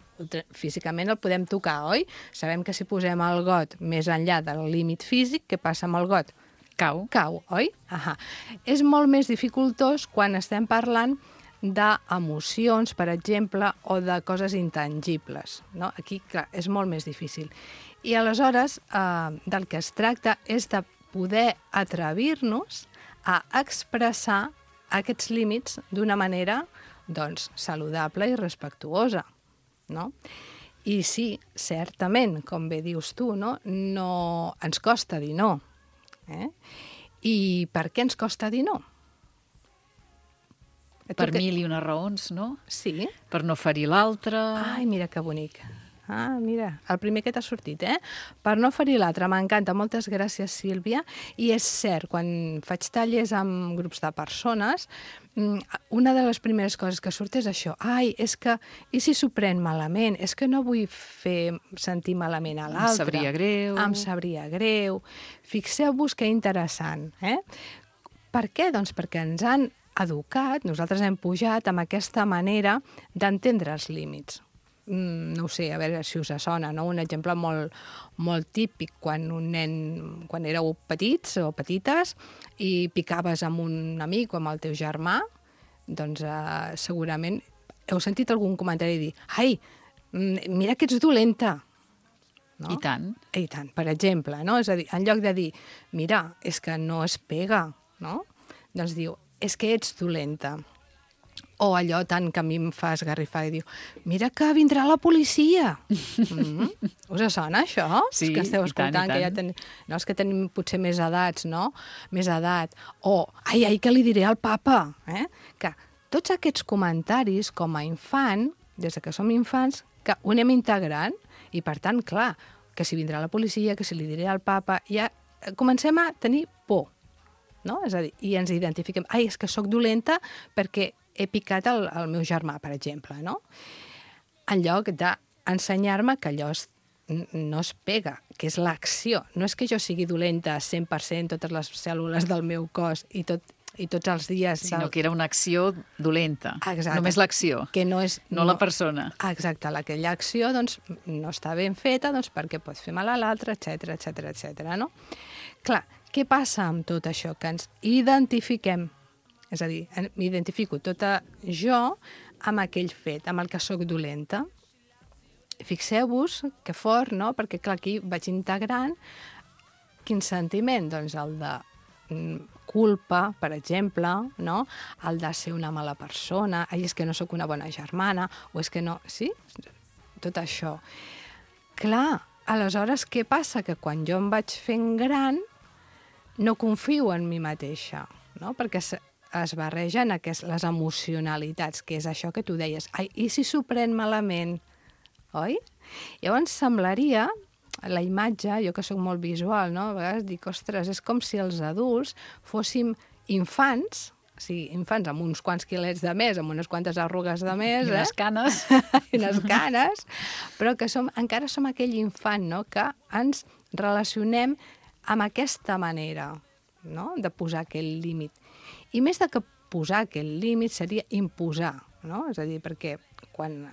físicament el podem tocar, oi? Sabem que si posem el got més enllà del límit físic, què passa amb el got? Cau, oi? Ahà. És molt més dificultós quan estem parlant d'emocions, per exemple, o de coses intangibles, no? Aquí, clar, és molt més difícil. I aleshores, del que es tracta és de poder atrevir-nos a expressar aquests límits d'una manera, doncs, saludable i respectuosa, no? I sí, certament, com bé dius tu, no ens costa dir no. I per què ens costa dir no? Per mil i unes raons, no? Sí. Per no ferir l'altre. Ai, mira que bonic. Mira, el primer que t'ha sortit, Per no ferir l'altre, m'encanta. Moltes gràcies, Sílvia. I és cert, quan faig tallers amb grups de persones, una de les primeres coses que surt és això. Ai, és que, i si s'ho pren malament? És que no vull fer sentir malament a l'altre. Em sabria greu. Em sabria greu. Fixeu-vos que interessant, Per què? Doncs perquè ens han educat, nosaltres hem pujat amb aquesta manera d'entendre els límits. No ho sé, a veure si us sona, no? Un exemple molt típic, quan éreu petits o petites i picaves amb un amic o amb el teu germà, doncs segurament heu sentit algun comentari dir «Ai, mira que ets dolenta!» No? I tant. I tant, per exemple, no? És a dir, en lloc de dir «Mira, és que no es pega», no? Doncs diu «És que ets dolenta». O allò tant que a mi em fa esgarrifar i diu «Mira que vindrà la policia». Us sona, això? Sí, que esteu escoltant, i tant. No, és que tenim potser més edats, no? Més edat. O «Ai, que li diré al papa». Que tots aquests comentaris, com a infant, des que som infants, que ho anem integrant i, per tant, clar, que si vindrà la policia, que si li diré al papa, ja comencem a tenir por. No? És a dir, i ens identifiquem. Ai, és que sóc dolenta perquè he picat el meu germà, per exemple, no? En lloc d'ensenyar-me que allò no es pega, que és l'acció. No és que jo sigui dolenta 100%, totes les cèl·lules del meu cos i tots els dies... Sinó que era una acció dolenta. Exacte. Només l'acció, no la persona. Exacte, aquella acció doncs, no està ben feta doncs, perquè pot fer mal a l'altre, etc., no? Clar, què passa amb tot això? Que ens identifiquem. És a dir, m'identifico tota jo amb aquell fet, amb el que sóc dolenta. Fixeu-vos que fort, no? Perquè, clar, aquí vaig integrant quin sentiment? Doncs el de culpa, per exemple, no? El de ser una mala persona, ai, és que no sóc una bona germana, o és que no... Sí? Tot això. Clar, aleshores, què passa? Que quan jo em vaig fent gran, no confio en mi mateixa, no? Perquè es barregen les emocionalitats, que és això que tu deies. Ai, i si s'ho pren malament oi? Llavors semblaria, la imatge, jo que sóc molt visual, no? A vegades dic, ostres, és com si els adults fóssim infants, o sigui, infants amb uns quants quilets de més, amb unes quantes arrugues de més... I unes canes. I unes canes, però que encara som aquell infant, no?, que ens relacionem amb aquesta manera, no?, de posar aquell límit. I més de que posar aquell límit seria imposar, no? És a dir, perquè quan...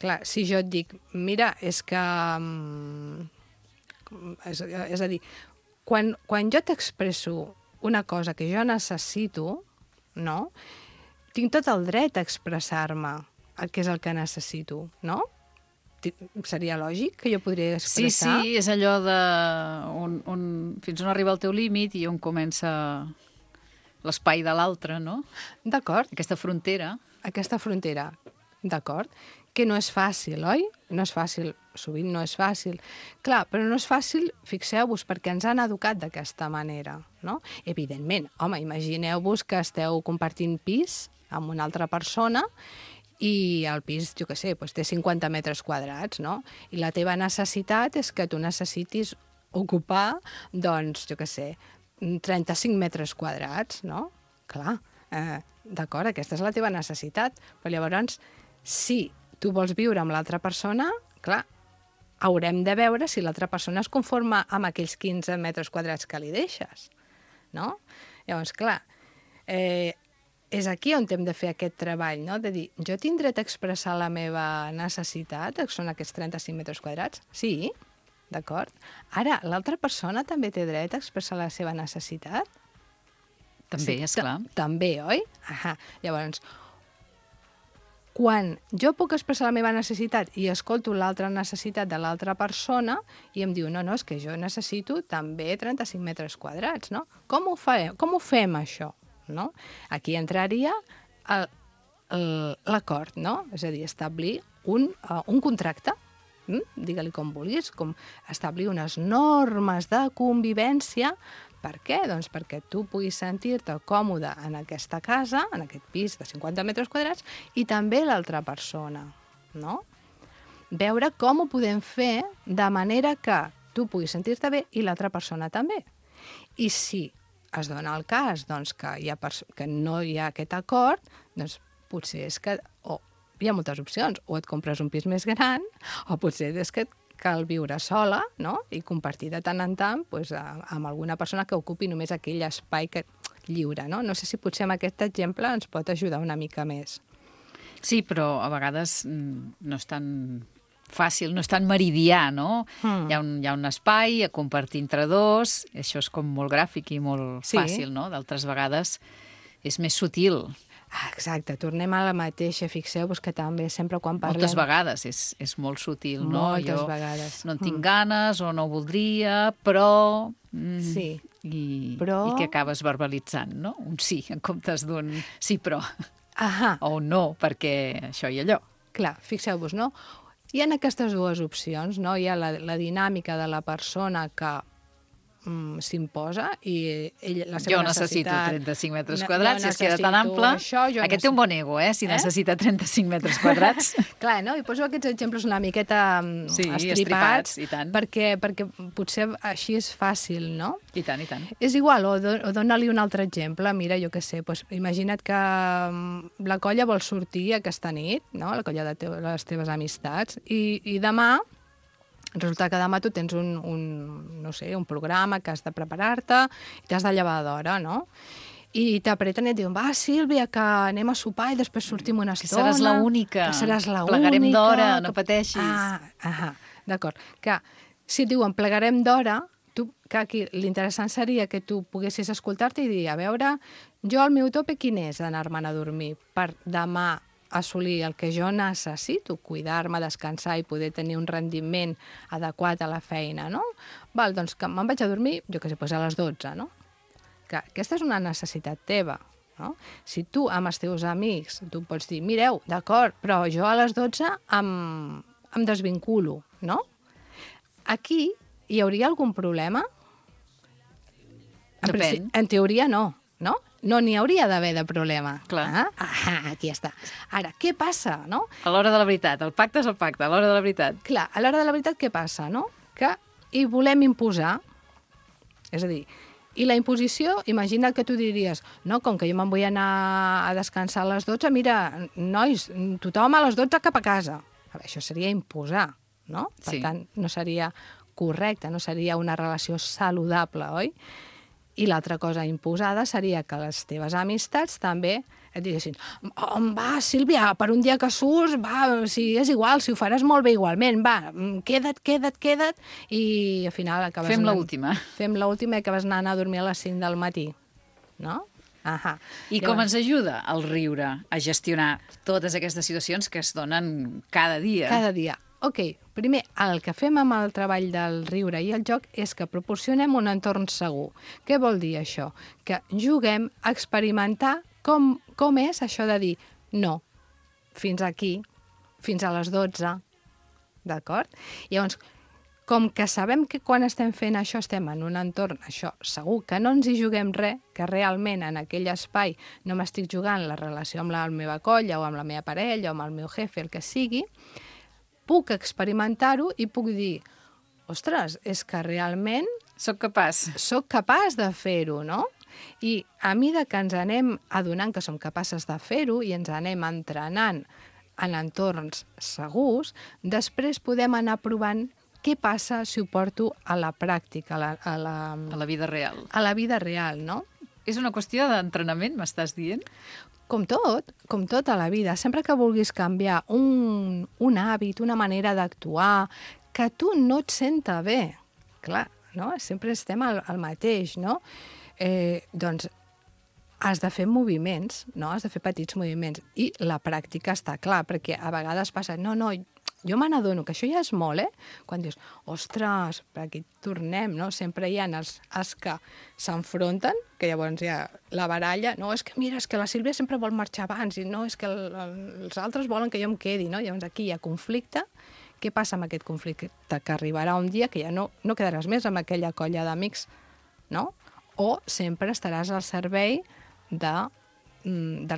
clar, si jo et dic, mira, és que... és a dir, quan jo t'expresso una cosa que jo necessito, no? Tinc tot el dret a expressar-me el que és el que necessito, no? Seria lògic que jo podria expressar? Sí, és allò de fins on arriba el teu límit i on comença l'espai de l'altre, no? D'acord. Aquesta frontera. Aquesta frontera, d'acord. Que no és fàcil, oi? No és fàcil, sovint no és fàcil. Clar, però no és fàcil, fixeu-vos, perquè ens han educat d'aquesta manera, no? Evidentment, home, imagineu-vos que esteu compartint pis amb una altra persona i el pis, jo què sé, doncs té 50 metres quadrats, no? I la teva necessitat és que tu necessitis ocupar, doncs, jo què sé, 35 metres quadrats, no? Clar, d'acord, aquesta és la teva necessitat, però llavors, si tu vols viure amb l'altra persona, clar, haurem de veure si l'altra persona es conforma amb aquells 15 metres quadrats que li deixes, no? Llavors, clar, és aquí on hem de fer aquest treball, no? De dir, jo tinc dret a expressar la meva necessitat, que són aquests 35 metres quadrats? Sí, d'acord. Ara, l'altra persona també té dret a expressar la seva necessitat? També, sí, esclar. També, oi? Llavors, quan jo puc expressar la meva necessitat i escolto l'altra necessitat de l'altra persona i em diu, no, és que jo necessito també 35 metres quadrats, no? Com ho fem, això? No? Aquí entraria l'acord, no? És a dir, establir un contracte, digue-li com vulguis, com establir unes normes de convivència. Per què? Doncs perquè tu puguis sentir-te còmode en aquesta casa, en aquest pis de 50 metres quadrats, i també l'altra persona, no? Veure com ho podem fer de manera que tu puguis sentir-te bé i l'altra persona també. I si es dona el cas doncs, que no hi ha aquest acord, doncs potser és que hi ha moltes opcions. O et compres un pis més gran, o potser és que cal viure sola, no? I compartir de tant en tant doncs, amb alguna persona que ocupi només aquell espai lliure, no? No sé si potser amb aquest exemple ens pot ajudar una mica més. Sí, però a vegades no és tan fàcil, no és tan meridià, no? Hi ha un espai a compartir entre dos, això és com molt gràfic i molt fàcil, no? D'altres vegades és més sutil. Exacte, tornem a la mateixa, fixeu-vos que també sempre quan parlem... Moltes vegades és molt sutil, no? Moltes vegades. No en tinc ganes o no ho voldria, però... Sí. I que acabes verbalitzant, no? Un sí, en comptes d'un sí, però. O un no, perquè això i allò. Clar, fixeu-vos, no? Hi ha aquestes dues opcions, no? Hi ha la dinàmica de la persona que s'imposa i la seva necessitat... Jo necessito 35 metres quadrats, si es queda tan ample... Aquest té un bon ego, si necessita 35 metres quadrats. Clar, no? I poso aquests exemples una miqueta estripats, perquè potser així és fàcil, no? I tant, i tant. És igual, o dona-li un altre exemple. Mira, jo què sé, imagina't que la colla vol sortir aquesta nit, no? La colla de les teves amistats, i demà resulta que demà tu tens un programa que has de preparar-te i t'has de llevar d'hora, no? I t'apreten i et diuen, va, Sílvia, que anem a sopar i després sortim una estona. Que seràs l'única. Que seràs l'única. Plegarem d'hora, no pateixis. D'acord. Que si et diuen plegarem d'hora, que aquí l'interessant seria que tu poguessis escoltar-te i dir, a veure, jo el meu tope quin és d'anar-me'n a dormir per demà assolir el que jo necessito, cuidar-me, descansar i poder tenir un rendiment adequat a la feina, no? Val, doncs que me'n vaig a dormir, jo què sé, a les 12, no? Que aquesta és una necessitat teva, no? Si tu amb els teus amics, tu pots dir, mireu, d'acord, però jo a les 12 em desvinculo, no? Aquí hi hauria algun problema? Depèn. En teoria no, no? no n'hi hauria d'haver de problema. Clar. Aquí està. Ara, què passa, no? A l'hora de la veritat, el pacte és el pacte, a l'hora de la veritat. Clar, a l'hora de la veritat què passa, no? Que hi volem imposar. És a dir, i la imposició, imagina't que tu diries, no, com que jo me'n vull anar a descansar a les 12, mira, nois, tothom a les 12 cap a casa. A veure, això seria imposar, no? Per tant, no seria correcte, no seria una relació saludable, oi? I l'altra cosa imposada seria que les teves amistats també et diguessin va, Sílvia, per un dia que surts, va, si és igual, si ho faràs molt bé igualment, va, queda't, i al final acabes... Fem l'última. Fem l'última i acabes anant a dormir a les 5 del matí, no? I com ens ajuda el riure a gestionar totes aquestes situacions que es donen cada dia? Cada dia. Ok, primer, el que fem amb el treball del riure i el joc és que proporcionem un entorn segur. Què vol dir això? Que juguem a experimentar com és això de dir no, fins aquí, fins a les 12, d'acord? Llavors, com que sabem que quan estem fent això estem en un entorn, això segur, que no ens hi juguem res, que realment en aquell espai no m'estic jugant la relació amb la meva colla o amb la meva parella o amb el meu jefe, el que sigui, puc experimentar-ho i puc dir, ostres, és que realment... Soc capaç de fer-ho, no? I a mesura que ens anem adonant que som capaces de fer-ho i ens anem entrenant en entorns segurs, després podem anar provant què passa si ho porto a la pràctica, a la vida real. A la vida real, no? És una qüestió d'entrenament, m'estàs dient? Com tot a la vida. Sempre que vulguis canviar un hàbit, una manera d'actuar, que tu no et senta bé, clar, no? Sempre estem al mateix, no? Doncs has de fer moviments, no? Has de fer petits moviments. I la pràctica està clar, perquè a vegades passa, no, jo me n'adono que això ja és molt, Quan dius, ostres, per aquí tornem, no? Sempre hi ha els que s'enfronten, que llavors hi ha la baralla, no, és que mira, és que la Sílvia sempre vol marxar abans, i no, és que els altres volen que jo em quedi, no? Llavors aquí hi ha conflicte. Què passa amb aquest conflicte? Que arribarà un dia que ja no quedaràs més amb aquella colla d'amics, no? O sempre estaràs al servei del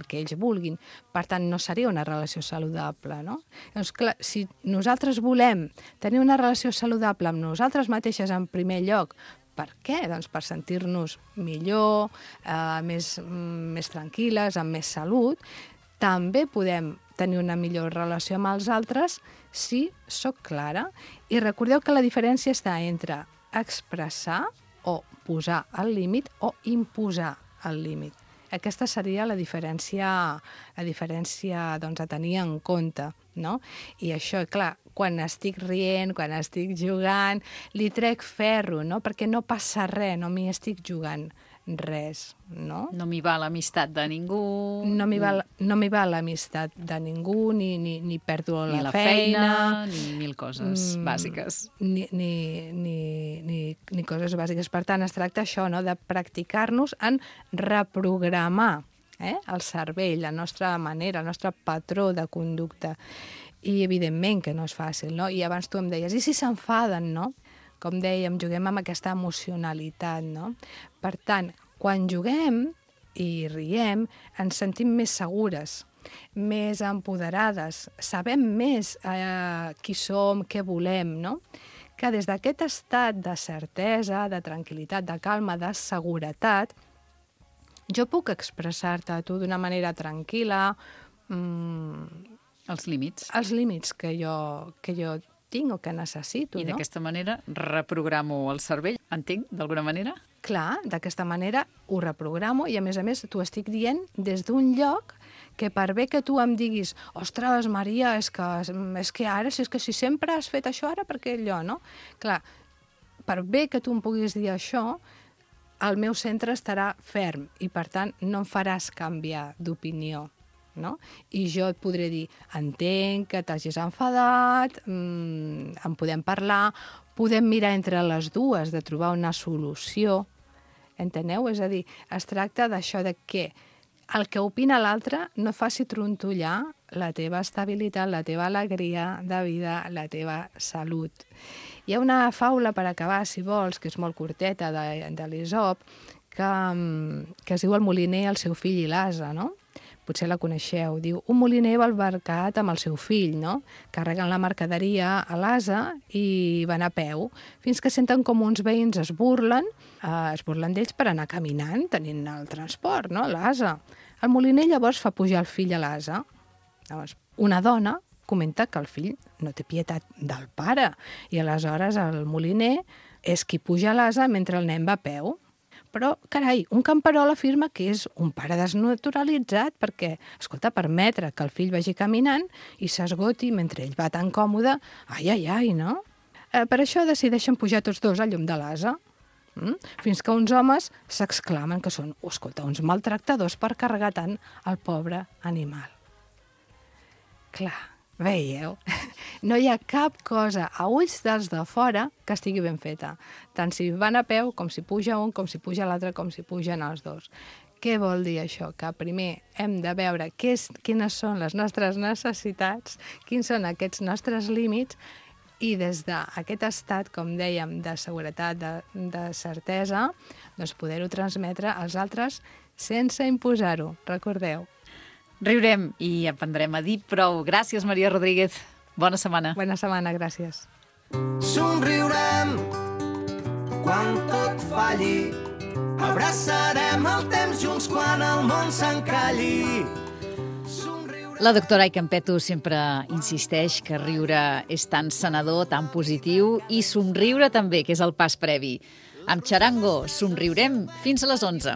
que ells vulguin. Per tant, no seria una relació saludable, no? Llavors, clar, si nosaltres volem tenir una relació saludable amb nosaltres mateixes en primer lloc, per què? Doncs per sentir-nos millor, més tranquil·les, amb més salut. També podem tenir una millor relació amb els altres si sóc clara. I recordeu que la diferència està entre expressar o posar el límit o imposar el límit. Aquesta seria la diferència doncs, a tenir en compte, no? I això, clar, quan estic rient, quan estic jugant, li trec ferro, no? Perquè no passa res, no m'hi estic jugant res, no? No m'hi va l'amistat de ningú. No m'hi va l'amistat de ningú, ni perdo la feina, ni mil coses bàsiques. Ni coses bàsiques. Per tant, es tracta això, no?, de practicar-nos en reprogramar el cervell, la nostra manera, el nostre patró de conducta. I, evidentment, que no és fàcil, no? I abans tu em deies, i si s'enfaden, no? Com dèiem, juguem amb aquesta emocionalitat, no? Per tant, quan juguem i riem, ens sentim més segures, més empoderades, sabem més qui som, què volem, no? Que des d'aquest estat de certesa, de tranquil·litat, de calma, de seguretat, jo puc expressar-te a tu d'una manera tranquil·la els límits. Els límits que jo tinc o que necessito, no? I d'aquesta manera reprogramo el cervell, entenc, d'alguna manera? Clar, d'aquesta manera ho reprogramo i, a més, t'ho estic dient des d'un lloc que per bé que tu em diguis ostres, Maria, és que ara, si sempre has fet això, ara per què allò, no? Clar, per bé que tu em puguis dir això, el meu centre estarà ferm i, per tant, no em faràs canviar d'opinió. No? I jo et podré dir, entenc que t'hagis enfadat, en podem parlar, podem mirar entre les dues de trobar una solució, enteneu? És a dir, es tracta d'això de que el que opina l'altre no faci trontollar la teva estabilitat, la teva alegria de vida, la teva salut. Hi ha una faula per acabar, si vols, que és molt curteta, de l'Esop, que es diu El moliner, el seu fill i l'ase, no? Potser la coneixeu. Diu, un moliner va al mercat amb el seu fill, no? Carreguen la mercaderia a l'ase i van a peu, fins que senten com uns veïns es burlen d'ells per anar caminant, tenint el transport, no? L'ase. El moliner llavors fa pujar el fill a l'ase. Llavors, una dona comenta que el fill no té pietat del pare i aleshores el moliner és qui puja a l'ase mentre el nen va a peu. Però, carai, un camperol afirma que és un pare desnaturalitzat perquè, escolta, permetre que el fill vagi caminant i s'esgoti mentre ell va tan còmode, ai, no? Per això decideixen pujar tots dos al llum de l'ase, fins que uns homes s'exclamen que són, escolta, uns maltractadors per carregar tant el pobre animal. Clar, veieu? No hi ha cap cosa a ulls dels de fora que estigui ben feta. Tant si van a peu, com si puja un, com si puja l'altre, com si pugen els dos. Què vol dir això? Que primer hem de veure quines són les nostres necessitats, quins són aquests nostres límits, i des d'aquest estat, com dèiem, de seguretat, de certesa, doncs poder-ho transmetre als altres sense imposar-ho, recordeu. Riurem i aprendrem a dir prou. Gràcies, Maria Rodríguez. Bona setmana. Bona setmana, gràcies. Somriurem quan tot falli. Abraçarem el temps junts quan el món s'encalli. La doctora Aicampeto sempre insisteix que riure és tan sanador, tan positiu, i somriure també, que és el pas previ. Amb Charango somriurem fins a les 11.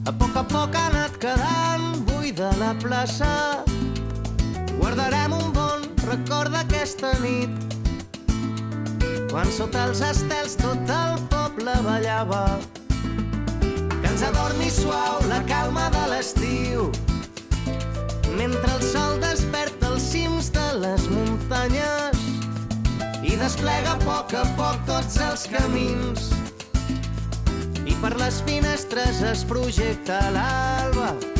A poc ha anat quedant buida la plaça. Guardarem un bon record d'aquesta nit, quan sota els estels tot el poble ballava, que ens adormi suau la calma de l'estiu, mentre el sol desperta els cims de les muntanyes i desplega a poc tots els camins, i per les finestres es projecta l'alba